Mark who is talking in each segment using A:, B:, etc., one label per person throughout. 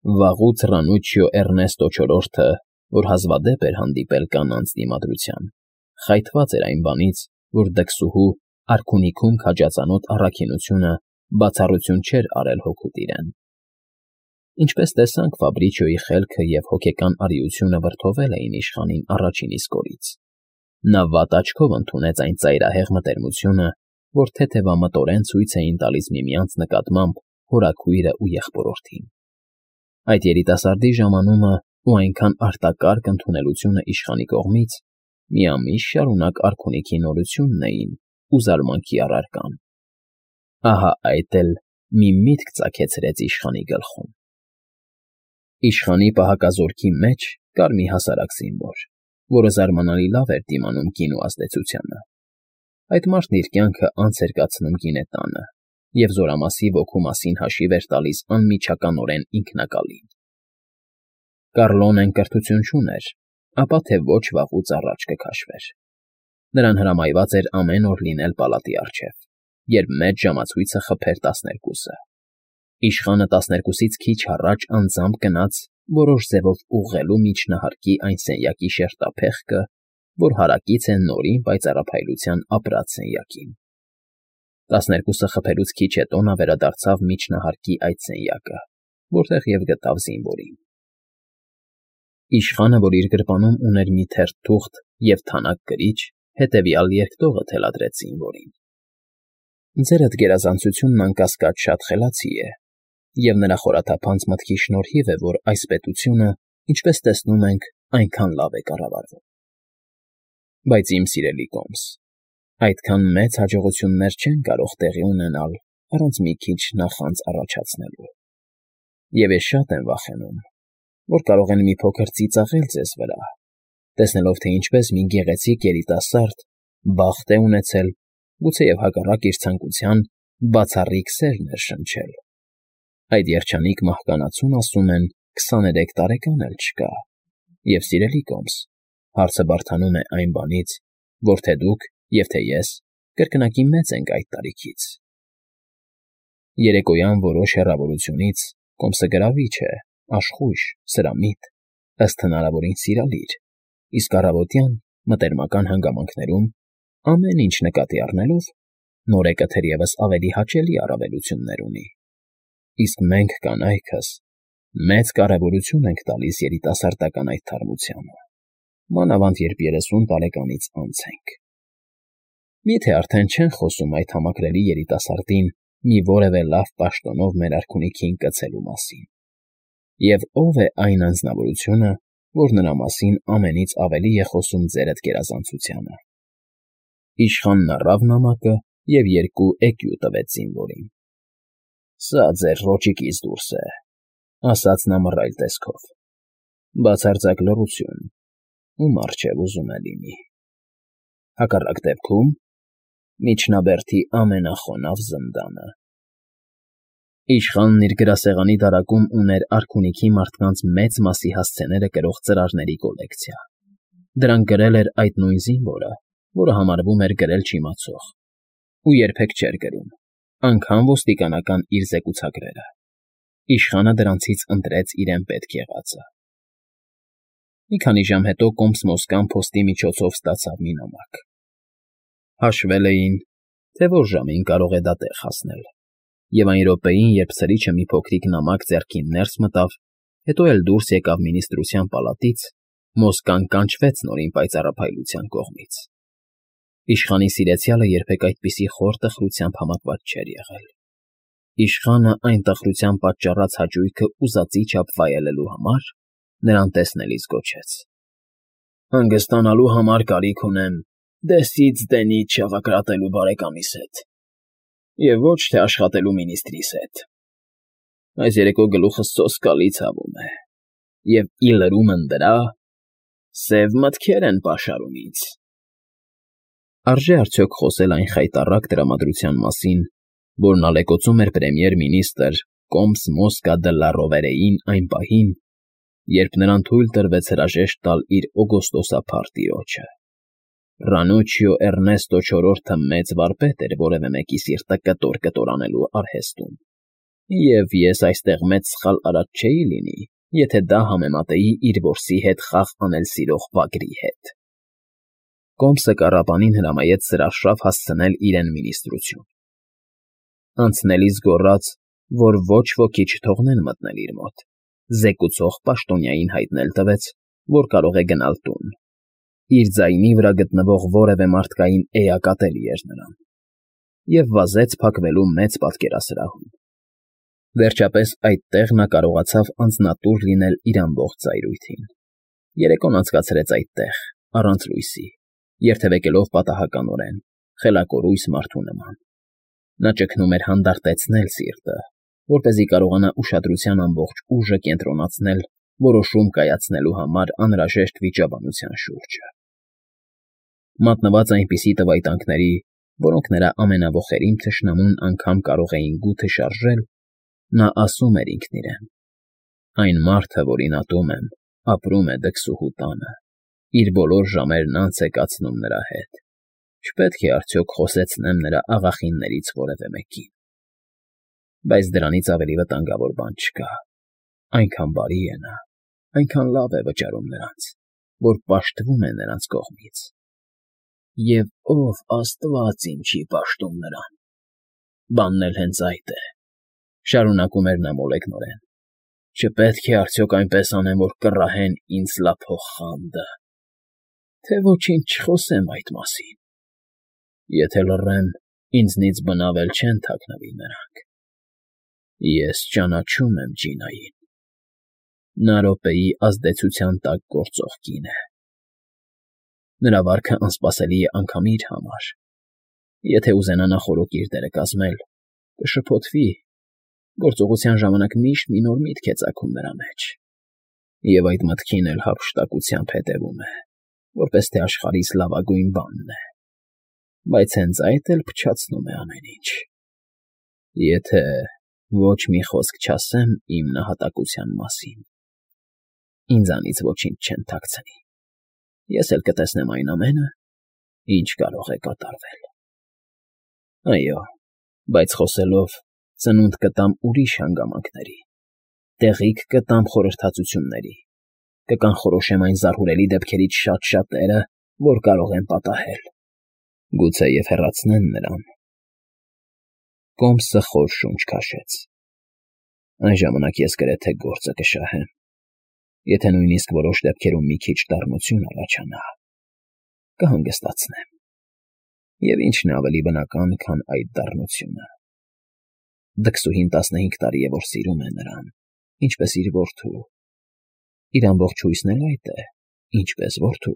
A: Վաղուց Ռանուչիո Էռնեստո չորրորդը, որ հազվադեպ էր հանդիպել կանանց դիմադրության, խայթված էր այն բանից, որ դքսուհու արքունիքում քաջածանոթ առաքինությունը բացառություն չէր արել հօգուտ իրեն։ Ինչպես տեսանք, Ֆաբրիչիոյի խելքը և հոգեկան արիությունը վրդովել էին իշխանին առաջին իսկ օրից։ Նա վատ աչքով ընդունեց այն ծայրահեղ մտերմությունը, որ թեթևամտորեն ցույց էին տալիս միմյանց նկատմամբ հորաքույրն ու եղբորորդին։ Այդ երիտասարդի ժամանումը ու այնքան արտակարգ ընդունելությունը իշխանի կողմից միամիտ շարունակ արքունիքի նորությունն էին ու զարմանքի առարկան։ Ահա այդ էլ մի միտք ծագեցրեց իշխանի գլխում։ Իշխանի պահակազորքի մեջ կար մի հասարակ զինվոր, որը զարմանալի լավ էր դիմանում գինու ազդեցությանը։ Այդ մարդն իր կյանքը անց էր կացնում գինետանը և զորամասի ոգու մասին հաշիվ էր տալիս անմիջականորեն ինքնակալին։ Կառլոնեն կրթություն չուներ, ապա թե ոչ վաղուց առաջ կքաշվեր։ Նրան հրամայված էր ամեն օր լինել պալատի առջև, երբ մեծ ժամացույցը խփեր 12-ը։ Իշխանը 12-ից քիչ առաջ անձամբ գնաց որոշ ձևով ուղղելու միջնահարկի այն սենյակի շերտափեղկը, որ հարակից է նորին պայծառափայլության ապրած սենյակին։ 12-ը խփելուց քիչ հետո նա վերադարձավ միջնահարկի այդ սենյակը, որտեղ և գտավ զինվորին։ Իշխանը, որ իր գրպանում ուներ մի թերթ թուղթ և թանակ գրիչ, հետևյալ երկտողը թելադրեց զինվորին. «Ձերդ գերազանցությունն անկասկած շատ խելացի է, և նրա խորաթափանց մտքի շնորհիվ է, որ այս պետությունը, ինչպես տեսնում ենք, այնքան լավ է կառավարվում։ Բայց, իմ սիրելի Կոմս, այդքան մեծ հաջողություններ չեն կարող տեղի ունենալ առանց մի քիչ նախանց առաջացնելու։ Եվ ես շատ եմ վախենում, որ կարող են մի փոքր ծիծաղել ձեզ վրա, տեսնելով, թե ինչպես մի գեղեցիկ երիտասարդ բախտ է ունեցել, գուցեև հակառակ իր ցանկության, բացառիկ սեր ներշնչել։ Այդ երջանիկ մահկանացուն, ասում են, 23 տարեկան էլ չկա։ Եվ, սիրելի Կոմս, հարցը բարդանում է այն բանից, որ թե դուք և թե ես կրկնակի մեծ ենք այդ տարիքից։ Երեկոյան որոշ հեռավորությունից Կոմսը գրավիչ է, աշխույժ, սրամիտ, ըստ հնարավորին սիրալիր, իսկ առավոտյան մտերմական հանգամանքներում, ամեն ինչ նկատի առնելով, նորեկը թերևս ավելի հաճելի առավելություններ ունի։ Իսկ մենք, կանայքս, մեծ կարևորություն ենք տալիս երիտասարդական այդ թարմությանը, մանավանդ երբ 30 տարեկանից անց ենք։ Մի՞թե արդեն չեն խոսում այդ համակրելի երիտասարդին մի որևէ լավ պաշտոնով մեր արքունիքին կցելու մասին։ Եվ ո՞վ է այն անձնավորությունը, որ նրա մասին ամենից ավելի է խոսում ձերդ գերազանցությանը։ Իշխանն առավ նամակը և 2 էկյու տվեց զինվորին։ Սա ձեր ռոճիկից դուրս է, ասաց նա մռայլ տեսքով։ Բացարձակ լռություն, ում առջև ուզում է լինի։ Հակառակ դեպքում միջնաբերդի ամենախոնավ զնդանը։ Իշխանն իր գրասեղանի դարակում ուներ արքունիքի մարդկանց մեծ մասի հասցեները կրող ծրարների կոլեկցիա։ Դրանք գրել էր այդ նույն զինվորը, որը համարվում էր գրել չիմացող, ու երբեք չէր գրում, անգամ ոստիկանական իր զեկուցագրերը։ Իշխանը դրանցից ընտրեց իրեն պետք եղածը։ Մի քանի ժամ հետո Կոմս Մոսկան փոստի միջոցով ստացավ մի նամակ։ Հաշվել էին, թե որ ժամին կարող է դա տեղ հասնել, և այն րոպեին, երբ սրիչը մի փոքրիկ նամակ ձեռքին ներս մտավ, հետո էլ դուրս եկավ մինիստրության պալատից, Մոսկան կանչվեց նորին պայծառափայլության կողմից։ Իշխանի սիրեցյալը երբեք այդպիսի խոր տխրությամբ համակված չէր եղել։ Իշխանը այն տխրության պատճառած հաճույքը ուզածի չափ վայելելու համար նրան տեսնելիս գոչեց. «Հանգստանալու համար կարիք ունեմ դեսից դենից շաղակրատելու բարեկամիս հետ, և ոչ թե աշխատելու մինիստրիս հետ։ Այս երեկո գլուխս սոսկալի ցավում է, և ի լրումն դրա, սև մտքեր են պաշարում ինձ»։ Արժե՞ արդյոք խոսել այն խայտառակ տրամադրության մասին, որն ալեկոծում էր պրեմիեր֊մինիստրը Կոմս Մոսկա դը լա Ռովերեին այն պահին, երբ նրան թույլ տրվեց հրաժեշտ տալ իր օգոստոսափառ տիրոջը։ Ռանուչիո Էռնեստո չորրորդը մեծ վարպետ էր որևէ մեկի սիրտը կտոր֊կտոր անելու արհեստում։ Եվ ես այստեղ մեծ սխալ արած չէի լինի, եթե դա համեմատեի իր որսի հետ խաղ անել սիրող վագրի հետ։ Կոմսը կառապանին հրամայեց սրարշավ հասցնել իրեն մինիստրություն։ Անցնելիս գոռաց, որ ոչ ոքի չթողնեն մտնել իր մոտ, զեկուցող պաշտոնյային հայտնել տվեց, որ կարող է գնալ տուն։ Իր ձայնի վրա գտնվող որևէ մարդկային էակ ատելի էր նրան, և վազեց փակվելու մեծ պատկերասրահում։ Վերջապես այդտեղ նա կարողացավ անձնատուր լինել իր ամբողջ ծայրույթին։ Երեկոն անցկացրեց այդտեղ, առանց լույսի, երթևեկելով պատահականորեն, խելակորույս մարդու նման։ Նա ճգնում էր հանդարտեցնել սիրտը, որպեսզի կարողանա ուշադրության ամբողջ ուժը կենտրոնացնել որոշում կայացնելու համար անհրաժեշտ վիճաբանության շուրջը։ Մատնված այնպիսի տվայտանքների, որոնք նրա ամենավոխերիմ թշնամուն անգամ կարող էին գութը շարժել, նա ասում էր ինքն իրեն. «Այն մարդը, որին ատում եմ, ապրում է դքսուհու տանը, իր բոլոր ժամերն անց է կացնում նրա հետ։ Չպետք է արդյոք խոսեցնեմ նրա աղախիններից որևէ մեկին։ Բայց դրանից ավելի վտանգավոր բան չկա. այնքան բարի է նա, այնքան լավ է վճարում նրանց, որ պաշտվում է նրանց կողմից։ Եվ ով Աստված իմ չի պաշտում նրան։ Բանն էլ հենց այդ է», շարունակում էր նա մոլեգնորեն։ «Չպետք է արդյոք այնպես անեմ, որ կռահեն ինձ լափող խանդը, թե ոչինչ չխոսեմ այդ մասին։ Եթե լռեմ, ինձնից բնավ էլ չեն թաքնվի նրանք։ Ես ճանաչում եմ Ջինային. նա րոպեի ազդեցության տակ գործող կին է։ Նրա վարքը անսպասելի է անգամ իր համար։ Եթե ուզենա նախօրոք իր դերը կազմել, կշփոթվի, գործողության ժամանակ միշտ մի նոր միտք է ծագում նրա մեջ, և այդ մտքին էլ հափշտակությամբ հետևում է, որպես թե աշխարհիս լավագույն բանն է, բայց հենց այդ էլ փչացնում է ամեն ինչ։ Եթե ոչ մի խոսք չասեմ իմ նահատակության մասին, ինձանից ոչինչ չեն թաքցնի։ Ես էլ կտեսնեմ այն ամենը, ինչ կարող է կատարվել։ Այո, բայց խոսելով ծնունդ կտամ ուրիշ հանգամանքների, տեղիք կտամ խորհրդածությունների, կկանխորոշեմ այն զարհուրելի դեպքերից շատ-շատերը, որ կարող են պատահել, գուցեև հեռացնեն նրան։ Կոմսը խոր շունչ քաշեց։ Այն ժամանակ ես գրեթե գործը կշահեմ, եթե նույնիսկ որոշ դեպքերում մի քիչ դառնություն առաջանա, կհանգստացնեմ։ Եվ ինչն է ավելի բնական, քան այդ դառնությունը։ Դքսուհին 15 տարի է, որ սիրում է նրան, ինչպես իր որդու։ Իր ամբողջ հույսն էլ այդ է, ինչպես որդու։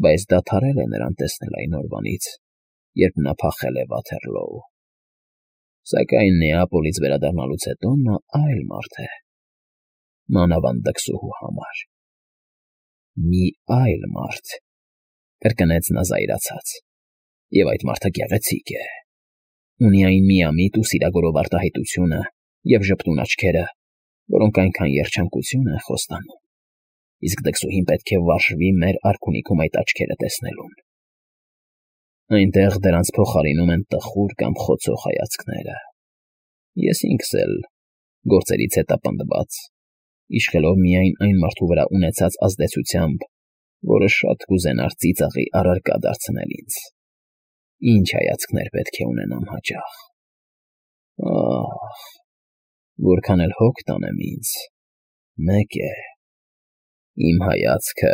A: Բայց դադարել է նրան տեսնել այն օրվանից, երբ նա փախել է Վաթերլոու։ Սակայն Նեապոլից վերադառնալուց հետո նա այլ մարդ է, մանավանդ դքսուհու համար։ Մի այլ մարդ, կրկնեց նա զայրացած, և այդ մարդը գեղեցիկ է։ Ունի այն միամիտ ու սիրագորով արտահայտությունը և ժպտուն աչքերը, որոնք այնքան երջանկություն են խոստանում, իսկ դքսուհին պետք է վարժվի մեր արքունիքում այդ աչքերը տեսնելուն։ Այնտեղ դրանց փոխարինում են տխուր կամ խոցող հայացքները։ Ես ինքս էլ, գործերից հետապնդված, իշխելով միայն այն մարդու վրա ունեցած ազդեցությամբ, որը շատ կուզենար ծիծաղի առարկա դարձնել ինձ, ինչ հայացքներ պետք է ունենամ հաճախ։ Ահ, որքան էլ հոգ տանեմ ինձ, մեկ է, իմ հայացքը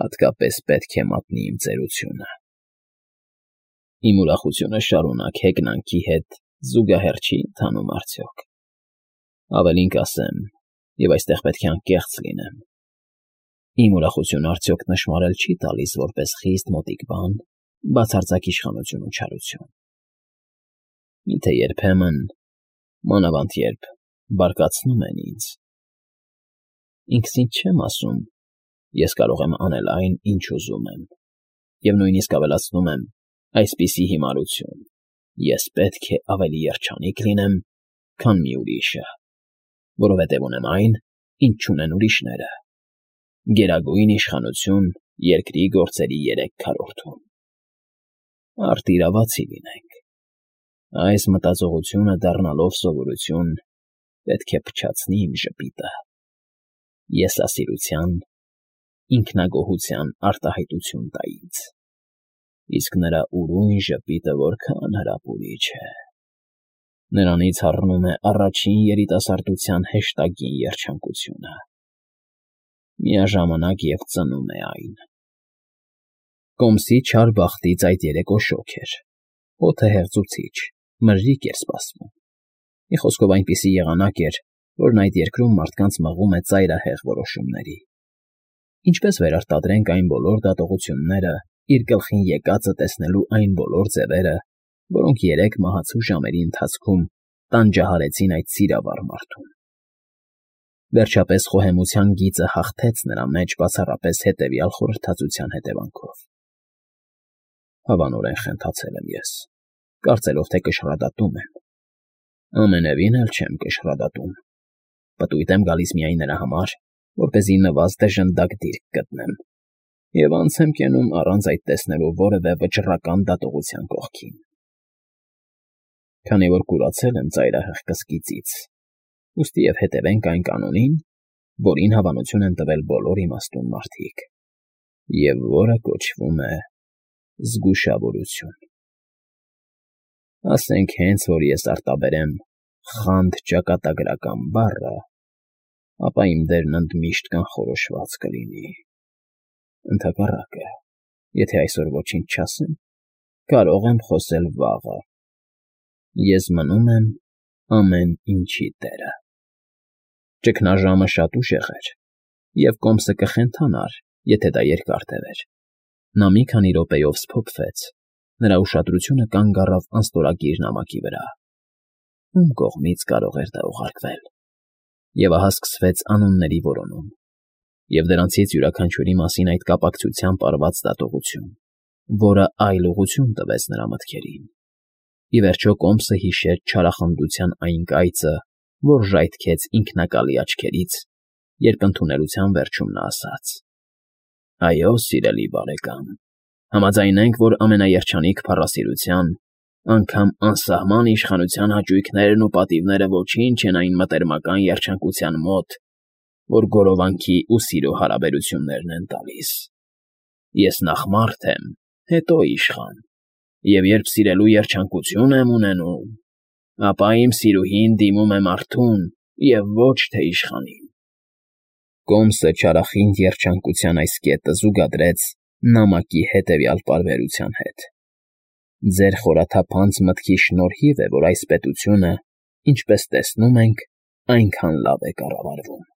A: հատկապես պետք է մատնի իմ ծերությունը։ Իմ ուրախությունը շարունակ հեգնանքի հետ զուգահեռ չի ընթանում արդյոք։ Ավելին կասեմ, և այստեղ պետք է անկեղծ լինեմ, իմ ուրախությունը արդյոք նշմարել չի տալիս որպես խիստ մոտիկ բան, բացարձակ իշխանություն ու չարություն։ Միթե երբեմն, մանավանդ երբ բարկացնում են ինձ։ Ինքս ինձ չեմ ասում, ես կարող եմ անել այն, ինչ ուզում եմ, և նույնիսկ ավելացնում եմ այսպիսի հիմարություն. ես պետք է ավելի երջանիկ լինեմ, քան մի ուրիշը, որովհետև ունեմ այն, ինչ չունեն ուրիշները. գերագույն իշխանություն երկրի գործերի 3/4-ում։ Արդ իրավացի լինենք։ Այս մտածողությունը դառնալով սովորություն, պետք է փչացնի իմ ժպիտը, եսասիրության, ինքնագոհության արտահայտություն տա ինձ, իսկ նրա ուրույն ժպիտը որքան հրապուրիչ է, նրանից հառնում է առաջին երիտասարդության հեշտագին երջանկությունը, միաժամանակ և ծնում է այն։ Կոմսի չար բախտից այդ երեկո շոգ էր, օդը հեղձուցիչ, մրրիկ էր սպասվում, մի խոսքով այնպիսի եղանակ էր, որն այդ երկրում մարդկանց մղում է ծայրահեղ որոշումների։ Ինչպես վերարտադրենք այն բոլոր դատողությունները, իր գլխին եկածը տեսնելու այն բոլոր ձևերը, որոնք երեք մահացու ժամերի ընթացքում տանջահարեցին այդ սիրավառ մարդուն։ Վերջապես խոհեմության գիծը հաղթեց նրա մեջ բացառապես հետևյալ խորհրդածության հետևանքով. հավանորեն խենթացել եմ ես, կարծելով, թե կշռադատում եմ։ Ամենևին էլ չեմ կշռադատում, պտույտ եմ գալիս միայն նրա համար, որպեսզի նվազ դժնդակ դիրք գտնեմ, և անց եմ կենում առանց այդ տեսնելու որևէ վճռական դատողության կողքին։ Քանի որ կուրացել եմ ծայրահեղ կսկիծից, ուստի և հետևենք այն կանոնին, որին հավանություն են տվել բոլոր իմաստուն մարդիկ, և որը կոչվում է զգուշավորություն։ Ասենք հենց որ ես արտաբերեմ «խանդ ճակատագրական» բառը, ապա իմ դերն ընդմիշտ կանխորոշված կլինի։ Ընդհակառակը, եթե այսօր ոչինչ չասեմ, կարող եմ խոսել վաղը։ Ես մնում եմ ամեն ինչի տերը։ Ճգնաժամը շատ ուժեղ էր, և Կոմսը կխենթանար, եթե դա երկար տևեր։ Նա մի քանի րոպեով սփոփվեց, նրա ուշադրությունը կանգ առավ անստորագիր նամակի վրա։ Ում կողմից կարող էր դա ուղարկվել։ Եվ ահա սկսվեց անունների որոնում, և դրանցից յուրաքանչյուրի մասին այդ կապակցությամբ արված դատողություն, որը այլ ուղղություն տվեց նրա մտքերին։ Ի վերջո Կոմսը հիշեց չարախնդության այն կայծը, որ ժայթքեց ինքնակալի աչքերից, երբ ընդունելության վերջում նա ասաց. «Այո, սիրելի բարեկամ, համաձայնենք, որ ամենաերջանիկ փառասիրության, անգամ անսահման իշխանության հաճույքներն ու պատիվները ոչինչ են այն մտերմական երջանկության մոտ, որ գորովանքի ու սիրո հարաբերություններն են տալիս։ Ես նախ մարդ եմ, հետո իշխան, և երբ սիրելու երջանկություն եմ ունենում, ապա իմ սիրուհին դիմում է մարդուն և ոչ թե իշխանին»։ Կոմսը չարախինդ երջանկության այս կետը զուգադրեց նամակի հետևյալ պարբերության հետ. «Ձեր խորաթափանց մտքի շնորհիվ է, որ այս պետությունը, ինչպես տեսնում ենք, այնքան լավ է կառավարվում»։